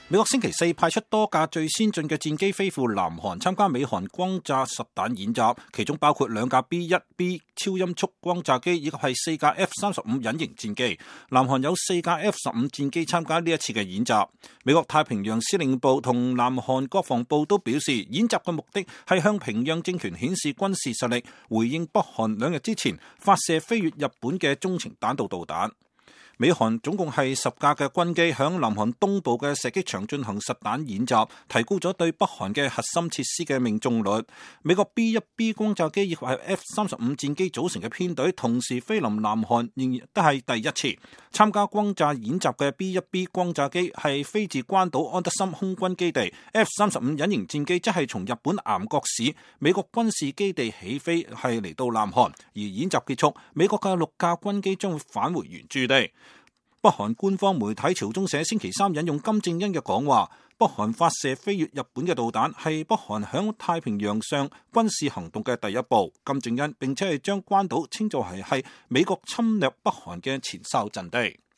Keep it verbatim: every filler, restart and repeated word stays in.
美國星期四派出多架最先進嘅戰機飛赴南韓參加美韓轟炸實彈演習，其中包括兩架 B 一 B 超音速轟炸機以及係四架 F 三十五隱形戰機。南韓有四架 F 十五戰機參加呢一次嘅演習。美國太平洋司令部同南韓國防部都表示，演習嘅目的係向平壤政權顯示軍事實力，回應北韓兩日之前發射飛越日本嘅中程彈道導彈。美韓總共係十架嘅軍機響南韓東部嘅射擊場進行實彈演習，提高咗對北韓嘅核心設施嘅命中率。美國 B 一 B 轟炸機以及係 F 三十五戰機組成嘅編隊同時飛臨南韓，仍然都係第一次參加轟炸演習嘅 B 一 B 轟炸機係飛自關島安德森空軍基地 ，F 三十五隱形戰機則係從日本岩國市美國軍事基地起飛係嚟到南韓，而演習結束，美國嘅六架軍機將會返回原駐地。北韓官方媒體朝中社星期三引用金正恩嘅講話，北韓發射飛越日本嘅導彈係北韓響太平洋上軍事行動嘅第一步。金正恩並且係將關島稱作係係美國侵略北韓嘅前哨陣地。